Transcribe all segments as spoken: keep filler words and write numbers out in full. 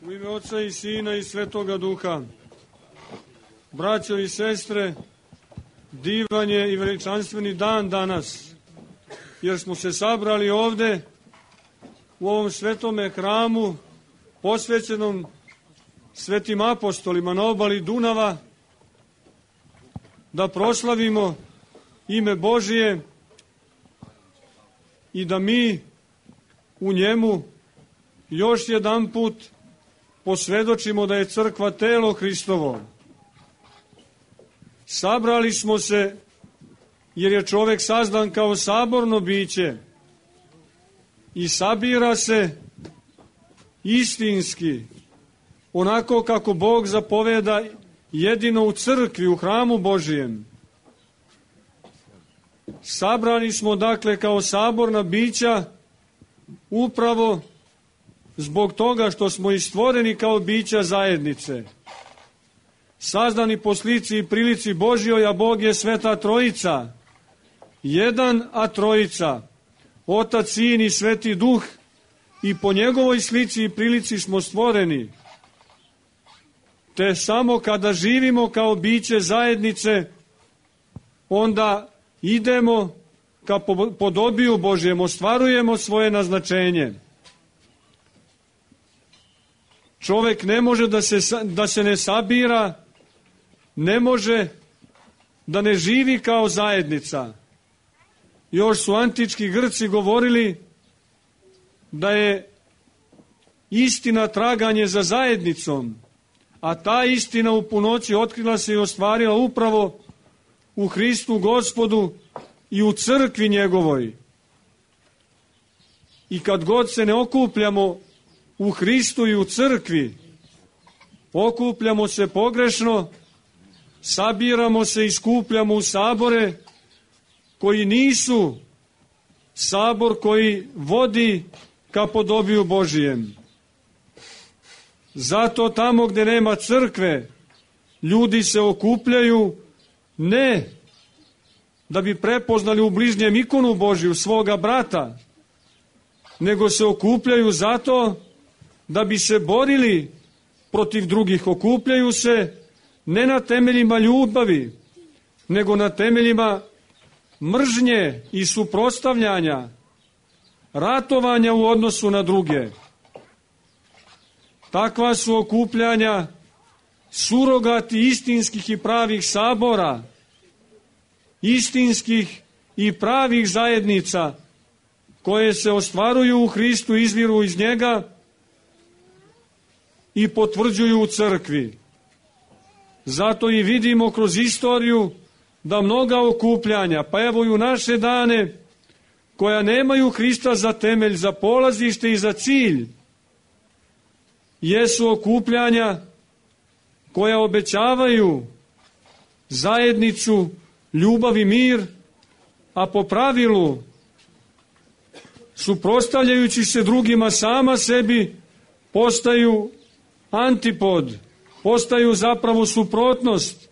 U ime Oca i Sina i Svetoga Duha. Braćo i sestre, divan je i veličanstveni dan danas, jer smo se sabrali ovde u ovom svetome hramu posvećenom svetim apostolima na obali Dunava, da proslavimo ime Božije i da mi u njemu još jedan put posvedočimo da je crkva telo Hristovo. Sabrali smo se jer je čovek sazdan kao saborno biće i sabira se istinski, onako kako Bog zapoveda jedino u crkvi, u hramu Božijem. Sabrani smo dakle kao saborna bića upravo zbog toga što smo i stvoreni kao bića zajednice. Sazdani po slici i prilici Božjoj, a Bog je Sveta Trojica. Jedan, a Trojica. Otac, Sin i Sveti Duh. I po njegovoj slici i prilici smo stvoreni. Te samo kada živimo kao biće zajednice, onda idemo ka podobiju Božjem, ostvarujemo svoje naznačenje. Čovek ne može da se, da se ne sabira, ne može da ne živi kao zajednica. Još su antički Grci govorili da je istina traganje za zajednicom, a ta istina u punoći otkrila se i ostvarila upravo u Hristu Gospodu i u crkvi njegovoj. I kad god se ne okupljamo u Hristu i u crkvi, okupljamo se pogrešno, sabiramo se i skupljamo u sabore koji nisu sabor koji vodi ka podobiju Božijem. Zato tamo gde nema crkve, ljudi se okupljaju ne da bi prepoznali u bližnjem ikonu Božju, svoga brata, nego se okupljaju zato da bi se borili protiv drugih. Okupljaju se ne na temeljima ljubavi, nego na temeljima mržnje i suprotstavljanja, ratovanja u odnosu na druge. Takva su okupljanja surogati istinskih i pravih sabora, istinskih i pravih zajednica koje se ostvaruju u Hristu, izviru iz njega i potvrđuju u crkvi. Zato i vidimo kroz istoriju da mnoga okupljanja, pa evo i u naše dane, koja nemaju Hrista za temelj, za polazište i za cilj, jesu okupljanja koja obećavaju zajednicu, ljubav i mir, a po pravilu, suprotstavljajući se drugima sama sebi, postaju antipod, postaju zapravo suprotnost,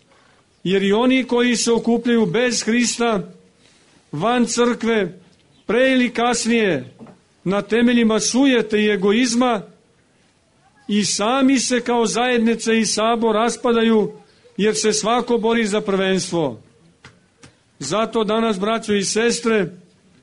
jer i oni koji se okupljaju bez Hrista, van crkve, pre ili kasnije, na temeljima sujete i egoizma, i sami se kao zajednice i sabor raspadaju, jer se svako bori za prvenstvo. Zato danas, braćo i sestre,